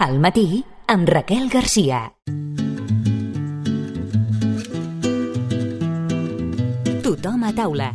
Al matí, amb Raquel Garcia. Tothom a taula.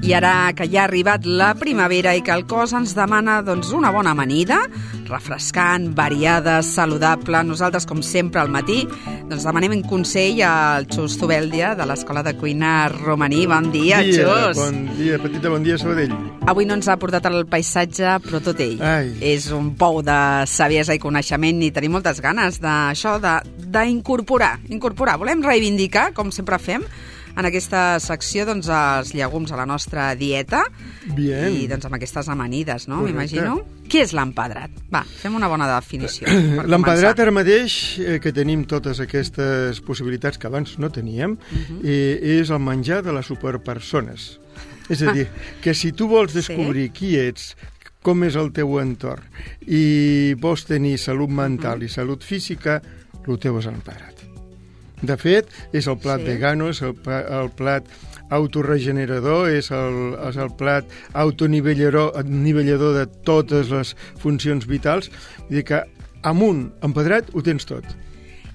I ara que ja ha arribat la primavera i que el cos ens demana una bona amanida, refrescant, variada, saludable, nosaltres, com sempre, al matí, demanem un consell al Xus Zubeldia de l'Escola de Cuina Romaní. Bon dia, Xus! Bon dia, petita, bon dia, Sabadell. Avui no ens ha portat el paisatge, però tot ell. Ai. És un pou de saviesa i coneixement i tenim moltes ganes d'això, d'incorporar. Volem reivindicar, com sempre fem, en aquesta secció, els llegums a la nostra dieta. Bien. I amb aquestes amanides, no? Correcte. M'imagino. Què és l'empedrat? Va, fem una bona definició. L'empedrat ara mateix, que tenim totes aquestes possibilitats que abans no teníem, és el menjar de les superpersones. És a dir, que si tu vols descobrir qui ets, com és el teu entorn, i vols tenir salut mental i salut física, el teu és l'empedrat. De fet, és el plat vegano, és el plat autorregenerador, és el plat autonivellador de totes les funcions vitals. Vull dir que amb un empedrat ho tens tot.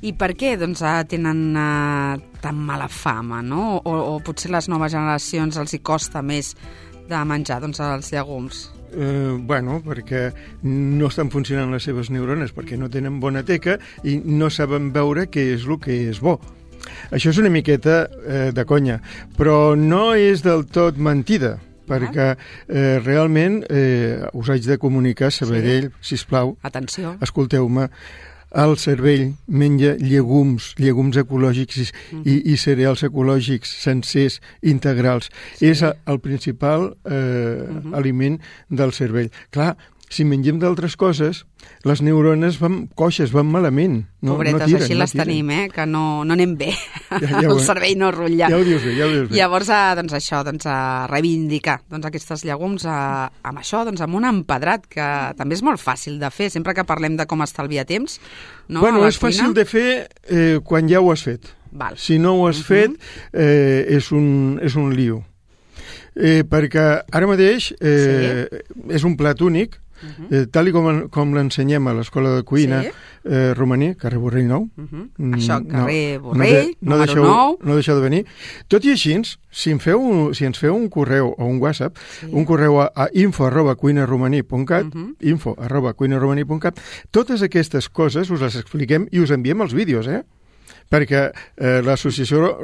I per què tenen tan mala fama, no? O potser les noves generacions els hi costa més de menjar els llegums? Perquè no estan funcionant les seves neurones, perquè no tenen bona teca i no saben veure què és el que és bo. Això és una miqueta de conya, però no és del tot mentida, perquè realment us haig de comunicar, Sabadell, sisplau, atenció, escolteu-me, el cervell menja llegums ecològics i cereals ecològics sencers, integrals. És el principal aliment del cervell. Clar, si mengem d'altres coses, les neurones van coixes, van malament. Pobretes, així les tenim, que no anem bé. El cervell no rutlla. Ja ho dius bé. Llavors, a reivindicar aquests llegums amb això, amb un empedrat, que també és molt fàcil de fer, sempre que parlem de com estalviar temps. És fàcil de fer quan ja ho has fet. Si no ho has fet, és un lío. Perquè ara mateix és un plat únic, tal com l'ensenyem a l'Escola de Cuina Romaní, carrer Borrell 9. Això, carrer Borrell, número 9. No deixeu de venir. Tot i així, si ens feu un correu o un WhatsApp, un correu a info@cuinaromaní.cat, info@cuinaromaní.cat, totes aquestes coses us les expliquem i us enviem els vídeos, perquè l'associació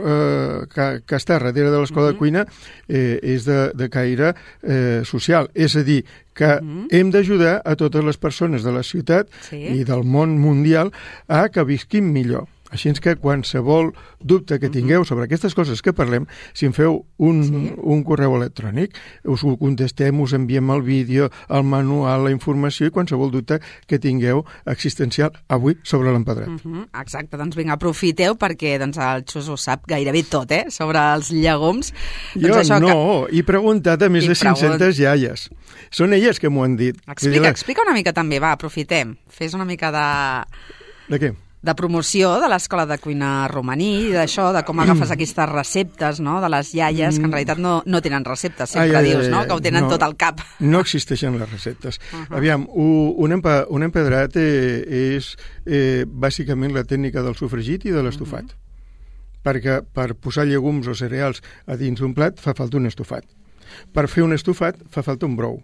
que està darrere de l'Escola de Cuina és de caire social. És a dir, que hem d'ajudar a totes les persones de la ciutat i del món mundial a que visquin millor. Així que qualsevol dubte que tingueu sobre aquestes coses que parlem, si em feu un correu electrònic, us ho contestem, us enviem el vídeo, el manual, la informació i qualsevol dubte que tingueu existencial avui sobre l'empedrat. Exacte, vinga, aprofiteu perquè el Xus ho sap gairebé tot, sobre els llegums. Jo he preguntat a més de 500 iaies. Són elles que m'ho han dit. Explica una mica també, va, aprofitem. Fes una mica De què? De promoció de l'Escola de Cuina Romaní, d'això, de com agafes aquestes receptes, de les iaies, que en realitat no tenen receptes, sempre dius, que ho tenen tot al cap. No existeixen les receptes. Aviam, un empedrat és bàsicament la tècnica del sofregit i de l'estofat. Perquè per posar llegums o cereals a dins d'un plat fa falta un estofat. Per fer un estofat fa falta un brou.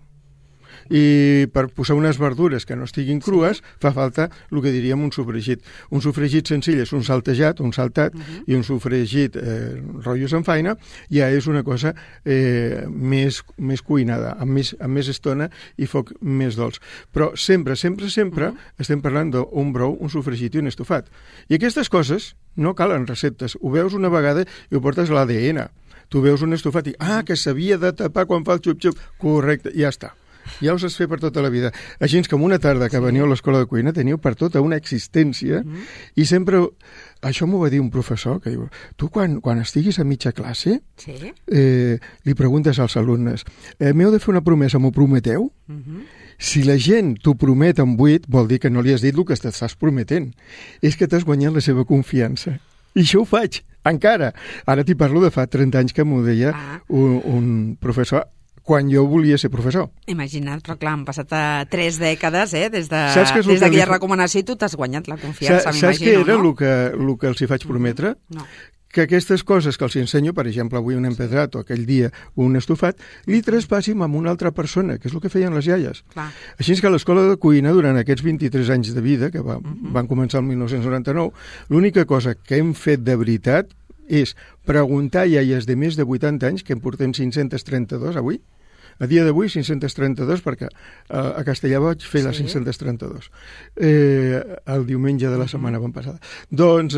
I per posar unes verdures que no estiguin crues fa falta el que diríem un sofregit. Un sofregit senzill és un saltejat, un saltat, i un sofregit rotllo samfaina ja és una cosa més cuinada, amb més estona i foc més dolç. Però sempre estem parlant d'un brou, un sofregit i un estofat. I aquestes coses no calen receptes. Ho veus una vegada i ho portes a l'ADN. Tu veus un estofat i, que s'havia de tapar quan fa el xup-xup. Correcte, ja està. Ja us has fet per tota la vida. Així com una tarda que veniu a l'Escola de Cuina teniu per tota una existència i sempre... Això m'ho va dir un professor que diu, tu quan estiguis a mitja classe li preguntes als alumnes, m'heu de fer una promesa, m'ho prometeu? Si la gent t'ho promet amb 8 vol dir que no li has dit el que t'estàs prometent. És que t'has guanyat la seva confiança. I això ho faig, encara. Ara t'hi parlo de fa 30 anys que m'ho deia un professor quan jo volia ser professor. Imagina't, però clar, han passat 3 dècades, des Saps d'aquella recomanació i tu t'has guanyat la confiança, m'imagino, Saps què era no? el que els hi faig prometre? No. Que aquestes coses que els ensenyo, per exemple, avui un empedrat o aquell dia un estofat, li traspassim amb una altra persona, que és el que feien les iaies. Clar. Així és que a l'escola de cuina, durant aquests 23 anys de vida, que van començar el 1999, l'única cosa que hem fet de veritat és preguntar a iaies de més de 80 anys, que en portem 532 avui, a dia d'avui 532, perquè a Castellà vaig fer les 532, el diumenge de la setmana passada. Doncs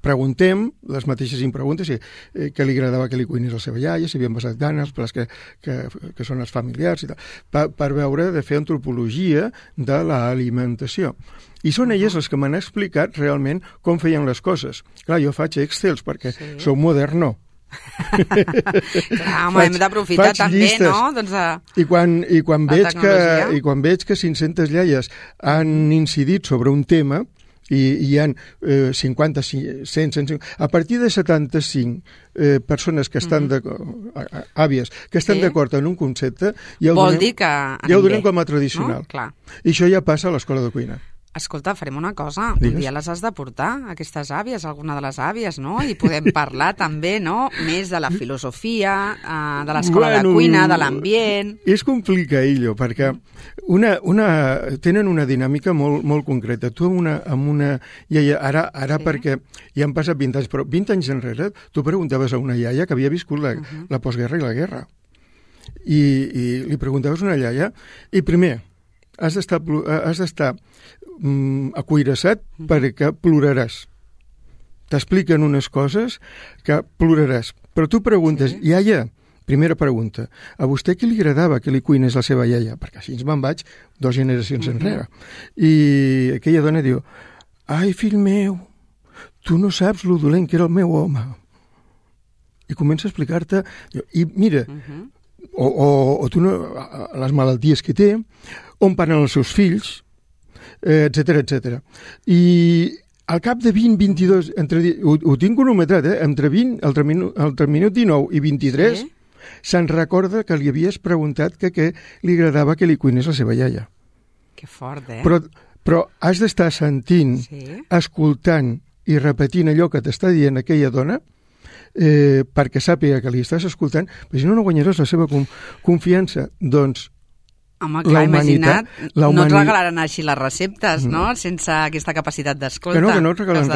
preguntem les mateixes preguntes, què li agradava que li cuinés la seva iaia, si havien passat gana, els plats que són els familiars i tal, per veure de fer antropologia de l'alimentació. I són elles les que m'han explicat realment com feien les coses. Clar, jo faig Excels perquè sou moderno. Clar, home, hem d'aprofitar també, llistes, no? Doncs I quan veig que 500 iaies han incidit sobre un tema i hi ha 50, 100, 150... A partir de 75 persones que estan àvies, que estan d'acord en un concepte, ja ho donem com a tradicional. No? Clar. I això ja passa a l'escola de cuina. Escolta, farem una cosa. Un dia les has de portar, aquestes àvies, alguna de les àvies, no? I podem parlar també, no?, més de la filosofia, de l'escola de cuina, de l'ambient... És complicadillo, perquè tenen una dinàmica molt, molt concreta. Tu amb una iaia, ara perquè ja han passat 20 anys, però 20 anys enrere tu preguntaves a una iaia que havia viscut la postguerra i la guerra. I li preguntaves a una iaia, i primer, has d'estar acuirassat perquè ploraràs. T'expliquen unes coses que ploraràs. Però tu preguntes, iaia, primera pregunta, a vostè què li agradava que li cuinés la seva iaia? Perquè així me'n vaig 2 generacions enrere. I aquella dona diu, ai, fill meu, tu no saps lo dolent que era el meu home. I comença a explicar-te, i mira, o tu no, les malalties que té, on paren els seus fills, etc. I al cap de 20-22, ho tinc cronometrat, entre el minut 19 i 23, se'n recorda que li havies preguntat que li agradava que li cuinés la seva iaia. Que fort, Però has d'estar sentint, escoltant i repetint allò que t'està dient aquella dona, perquè sàpiga que li estàs escoltant, però si no guanyaràs la seva confiança. Doncs home, clar, imagina't, no et regalaran així les receptes, no?, sense aquesta capacitat d'escolta. Que no et regalen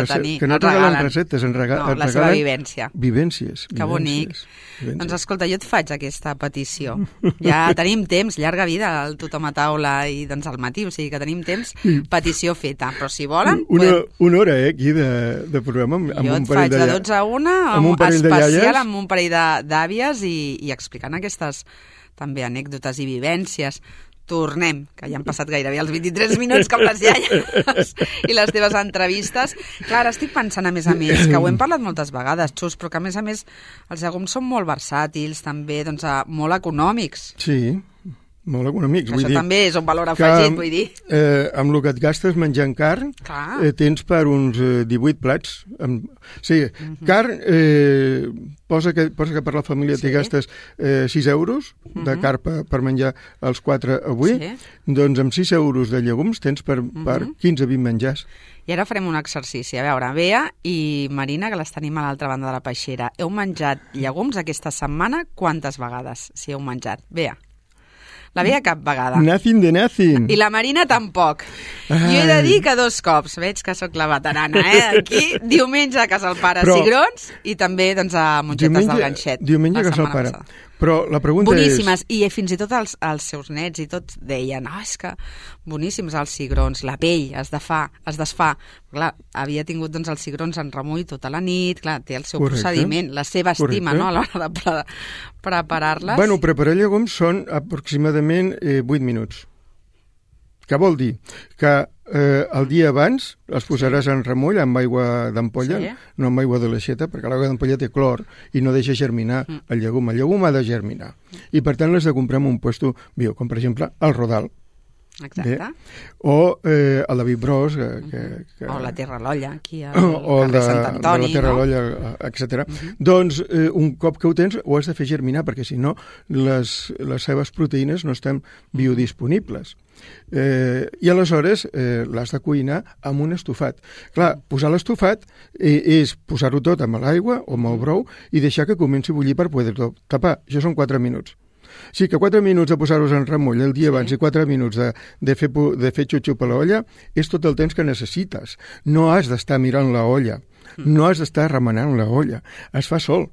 receptes, et regalen la seva vivència. Vivències. Que bonic. Doncs escolta, jo et faig aquesta petició. Ja tenim temps, llarga vida, el tothom a taula i doncs al matí, o sigui que tenim temps, petició feta. Però si volen... Una hora, aquí, de programa, amb un parell de... Jo et faig de 12 a 1, especial amb un parell d'àvies i explicant aquestes també anècdotes i vivències. Tornem, que ja han passat gairebé els 23 minuts com les iaies i les teves entrevistes. Clar, estic pensant, a més, que ho hem parlat moltes vegades, Xus, però que a més els llegums són molt versàtils, també, doncs, molt econòmics. Sí, molt econòmics. Això també és un valor afegit, vull dir. Amb el que et gastes menjant carn, tens per uns 18 plats. Carn, posa que per la família t'hi gastes 6 euros de carn per menjar els 4 avui, doncs amb 6 euros de llegums tens per 15-20 menjars. I ara farem un exercici. A veure, Bea i Marina, que les tenim a l'altra banda de la peixera, heu menjat llegums aquesta setmana quantes vegades, si heu menjat? Bea. La Bea cap vegada. Nothing de nothing. I la Marina tampoc. Jo he de dir que 2 cops. Veig que sóc la veterana, Aquí, diumenge a casa el pare Cigrons i també doncs, a Mongetes del Ganxet. Diumenge a casa el pare. Però la pregunta boníssimes. I fins i tot els seus nets i tots deien, és que boníssims els cigrons, la pell es desfà. Clar, havia tingut doncs, els cigrons en remull tota la nit, clar, té el seu procediment, la seva estima, no?, a l'hora de preparar-les. Bueno, preparar llegums són aproximadament 8 minuts. Què vol dir? Que el dia abans els posaràs en remull amb aigua d'ampolla, no amb aigua de l'aixeta, perquè l'aigua d'ampolla té clor i no deixa germinar el llegum. El llegum ha de germinar. I per tant l'has de comprar en un puesto bio, com per exemple el Rodal. Exacte. O el David Bros, o la Terra a l'Olla, aquí al carrer Sant Antoni, de la Terra a l'Olla, etc. Doncs, un cop que ho tens, ho has de fer germinar, perquè si no, les seves proteïnes no estan biodisponibles. I aleshores l'has de cuinar amb un estofat. Clar, posar l'estofat és posar-ho tot amb l'aigua o amb el brou i deixar que comenci a bullir per poder-ho tapar. Això són 4 minuts. Sí, que 4 minuts de posar-los en remull el dia abans i 4 minuts de fer xup-xup a l'olla és tot el temps que necessites. No has d'estar mirant la olla, no has d'estar remenant la olla. Es fa sol.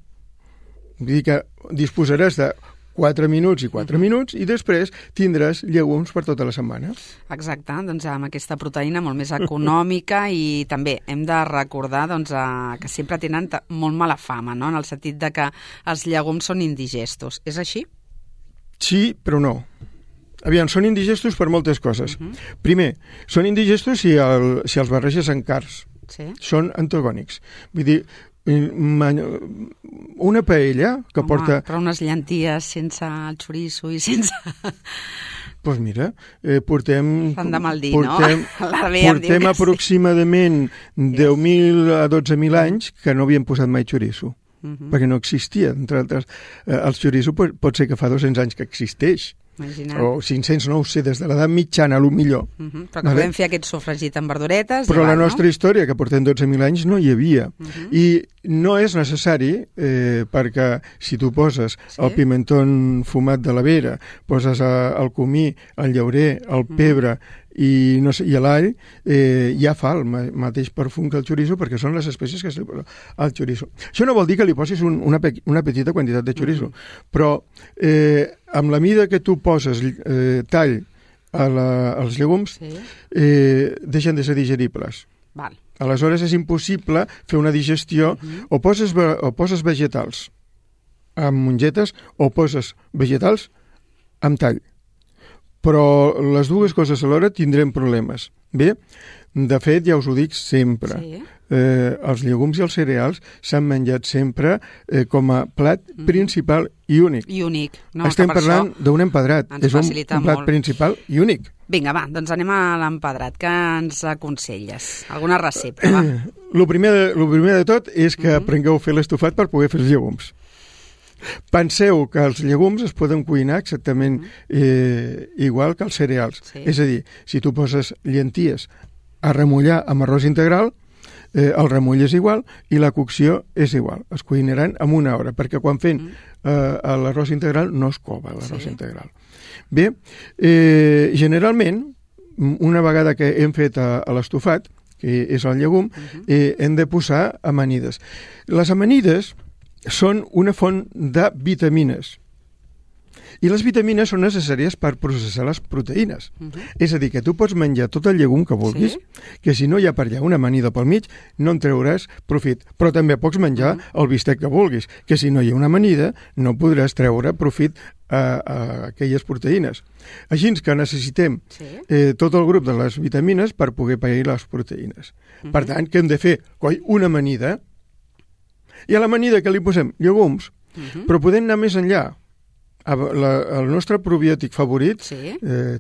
Vull dir que disposaràs de 4 minuts i 4 minuts i després tindràs llegums per tota la setmana. Exacte, doncs amb aquesta proteïna molt més econòmica i també hem de recordar que sempre tenen molt mala fama, no? En el sentit de que els llegums són indigestos. És així? Sí, però no. Aviam, són indigestos per moltes coses. Primer, són indigestos si els barreges en carns. Sí. Són antagònics. Vull dir, una paella que porta... Però unes llenties sense el xoriço i sense... Doncs mira, portem aproximadament 10.000 a 12.000 anys que no havien posat mai xoriço. Perquè no existia, entre altres. El xoriço pot ser que fa 200 anys que existeix. Imagina't. O 500, no ho sé, des de l'edat mitjana, a lo millor. Però que podem fer aquest sofregit amb verduretes. Però la nostra història, que portem 12.000 anys, no hi havia. I no és necessari, perquè si tu poses el pimentón fumat de la vera, poses el comí, el llaurer, el pebre i l'all, ja fa el mateix perfum que el xoriço, perquè són les espècies que se li posa al xoriço. Això no vol dir que li posis una petita quantitat de xoriço, però amb la mida que tu poses tall als llegums, deixen de ser digeribles. Val. Aleshores és impossible fer una digestió, o poses vegetals amb mongetes o poses vegetals amb tall. Però les dues coses alhora tindrem problemes. Bé, de fet, ja us ho dic sempre, els llegums i els cereals s'han menjat sempre com a plat principal i únic. I únic. No, estem parlant d'un empedrat. És un plat principal i únic. Vinga, va, doncs anem a l'empedrat. Què ens aconselles? Alguna recepta, va? Lo primer de tot és que aprengueu a fer l'estofat per poder fer els llegums. Penseu que els llegums es poden cuinar exactament igual que els cereals. És a dir, si tu poses llenties a remullar amb arròs integral, el remull és igual i la cocció és igual. Es cuinaran en 1 hora, perquè quan fem l'arròs integral no es cova l'arròs integral. Bé, generalment, una vegada que hem fet l'estofat, que és el llegum, hem de posar amanides. Les amanides són una font de vitamines. I les vitamines són necessàries per processar les proteïnes. És a dir, que tu pots menjar tot el llegum que vulguis, que si no hi ha per allà una amanida pel mig, no en treuràs profit. Però també pots menjar el bistec que vulguis, que si no hi ha una amanida, no podràs treure profit a aquelles proteïnes. Així que necessitem tot el grup de les vitamines per poder pair les proteïnes. Per tant, què hem de fer? Coi, una amanida, i a l'amanida que li posem llegums, però podem anar més enllà. El nostre probiòtic favorit,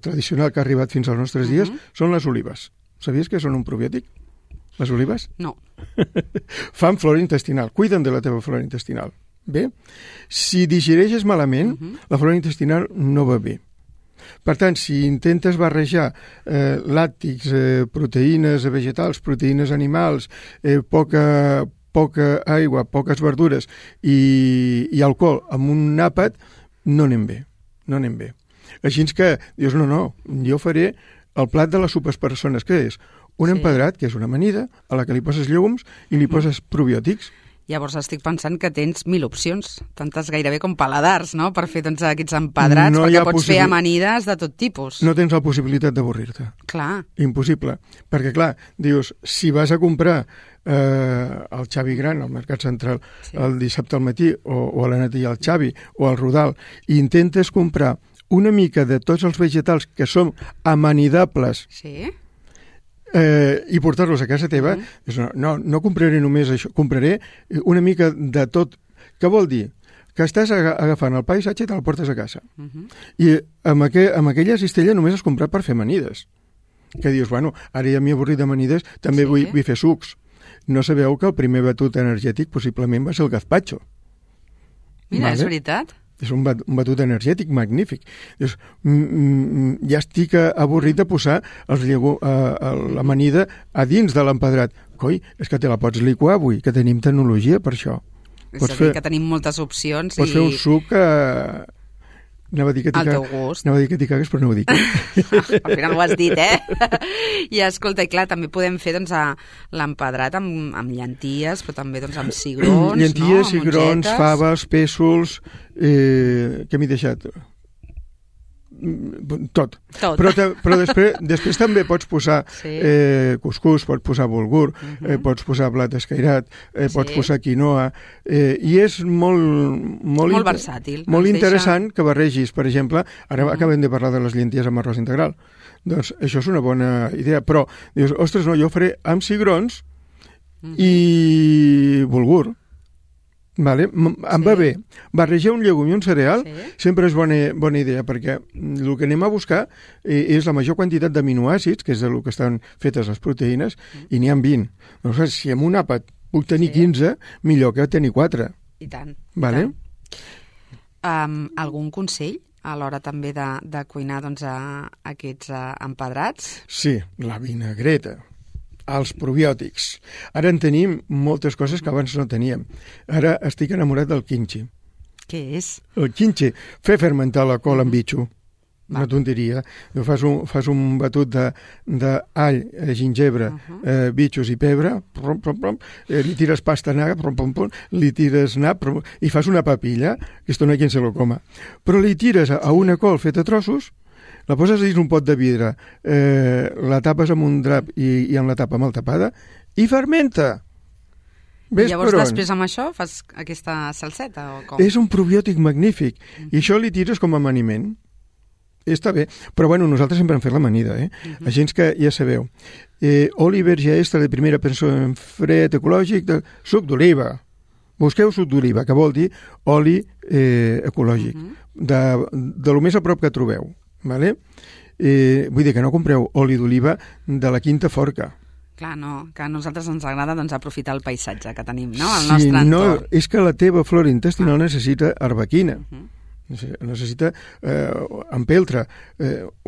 tradicional que ha arribat fins als nostres dies, són les olives. Sabies que són un probiòtic? Les olives? No. Fan flora intestinal, cuiden de la teva flora intestinal. Bé? Si digereixes malament, la flora intestinal no va bé. Per tant, si intentes barrejar làctics, proteïnes vegetals, proteïnes animals, poca aigua, poques verdures i alcohol amb un àpat, no anem bé. Així que dius, no, jo faré el plat de les superpersones, que és un empedrat, que és una amanida, a la que li poses llegums i li poses probiòtics. Llavors estic pensant que tens 1.000 opcions, tantes gairebé com paladars, no?, per fer aquests empedrats, perquè pots fer amanides de tot tipus. No tens la possibilitat d'avorrir-te. Clar. Impossible. Perquè, clar, dius, si vas a comprar el Xavi Gran al Mercat Central el dissabte al matí, o a la nit al Xavi, o al Rodal, i intentes comprar una mica de tots els vegetals que són amanidables i portar-los a casa teva, no compraré només això, compraré una mica de tot. Què vol dir? que estàs agafant el paisatge i te'l portes a casa. I amb aquella cistella només has comprat per fer amanides. Que dius, bueno, ara ja m'he avorrit d'amanides, també vull fer sucs. No sabeu que el primer batut energètic possiblement va ser el gazpacho. Mira, és veritat. És un batut energètic magnífic. Dius, ja estic avorrit de posar l'amanida a dins de l'empedrat. Coi, és que te la pots liquar avui, que tenim tecnologia per això. És a dir, que tenim moltes opcions. Pots fer un suc Anava a dir que t'hi cagues, però no ho dic. Al final ho has dit, I escolta, i clar, també podem fer l'empedrat amb llenties, però també amb cigrons, llenties, cigrons, faves, pèsols, què m'he deixat? Tot. Però després també pots posar cuscús, pots posar bulgur, pots posar blat escairat, pots posar quinoa, i és molt versàtil. Molt interessant que barregis, per exemple, ara acabem de parlar de les llenties amb arròs integral. Doncs això és una bona idea, però dius, ostres, no, jo ho faré amb cigrons i bulgur. Vale? Em va bé. Barrejar un llegum i un cereal sempre és bona idea, perquè el que anem a buscar és la major quantitat d'aminoàcids, que és del que estan fetes les proteïnes, i n'hi ha 20. Llavors, si amb un àpat puc tenir 15, millor que tenir 4. I tant. Vale? Algun consell a l'hora també de cuinar aquests empedrats? Sí, la vinagreta. Els probiòtics. Ara en tenim moltes coses que abans no teníem. Ara estic enamorat del quinxi. Què és? El quinxi, fer fermentar la col amb bitxo. Una tonteria. Fas un batut d'all, gingebre, bitxos i pebre, li tires pasta negra, li tires nap i fas una papilla, que esto no hay quien se lo coma. Però li tires a una col feta a trossos, la poses dins un pot de vidre, la tapes amb un drap i amb la tapa mal tapada i fermenta. I llavors després amb això fas aquesta salseta o com? És un probiòtic magnífic i això li tires com a amaniment. Està bé, però bueno, nosaltres sempre hem fet l'amanida, Així que ja sabeu. Oli verge extra de primera persona en fred ecològic, suc d'oliva. Busqueu suc d'oliva, que vol dir oli ecològic, de lo més a prop que trobeu. Vale? Vull dir que no compreu oli d'oliva de la Quinta Forca. Clar, no, que a nosaltres ens agrada aprofitar el paisatge que tenim, no? El nostre entorn. No, és que la teva flora intestinal necessita arbequina, necessita empeltre,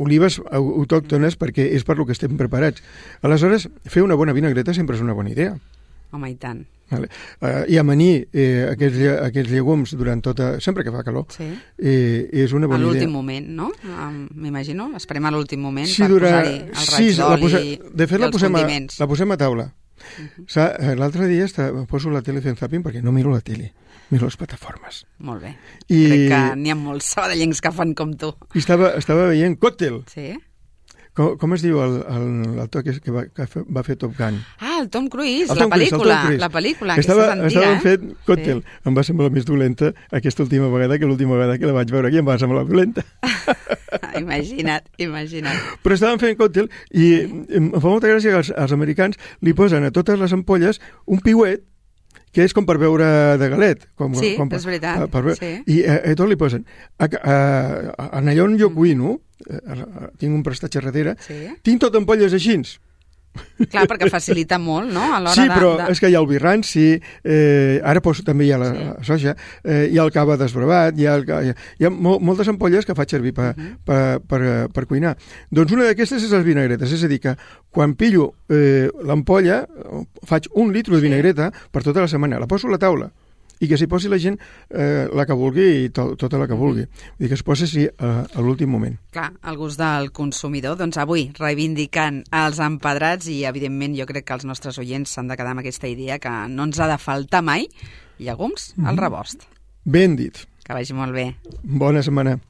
olives autòctones, perquè és per lo que estem preparats. Aleshores, fer una bona vinagreta sempre és una bona idea. Home, i tant. Vale. I amanir aquests llegums durant sempre que fa calor és una bona idea. A l'últim moment, no? M'imagino, esperem a l'últim moment per posar-hi el raig d'oli i els condiments. La posem a taula. L'altre dia poso la tele fent zapping perquè no miro la tele, miro les plataformes. Molt bé. Crec que n'hi ha molts sabadellencs que fan com tu. I estava veient Còctel. Sí. Com es diu l'actor que va fer Top Gun? El Tom Cruise, la pel·lícula, aquesta és antiga. Estava fent Còctel. Em va semblar més dolenta aquesta última vegada que l'última vegada que la vaig veure aquí em va semblar dolenta. Imagina't. Però estaven fent Còctel i em fa molta gràcia que els americans li posen a totes les ampolles un piuet que és com per beure de galet. És veritat. I a tot li posen. En allò on jo cuino, tinc un prestatge darrere, tinc tot ampolles així. Clar, perquè facilita molt, no? Sí, però és que hi ha el vi ranci, ara també hi ha la soja, hi ha el cava desbrevat, hi ha moltes ampolles que faig servir per cuinar. Doncs una d'aquestes és les vinagretes, és a dir, que quan pillo l'ampolla faig 1 litre de vinagreta per tota la setmana, la poso a la taula i que s'hi posi la gent la que vulgui i tota la que vulgui. Vull dir que es posi a l'últim moment. Clar, el gust del consumidor. Doncs avui, reivindicant els empedrats i, evidentment, jo crec que els nostres oients s'han de quedar amb aquesta idea que no ens ha de faltar mai llegums al rebost. Ben dit. Que vagi molt bé. Bona setmana.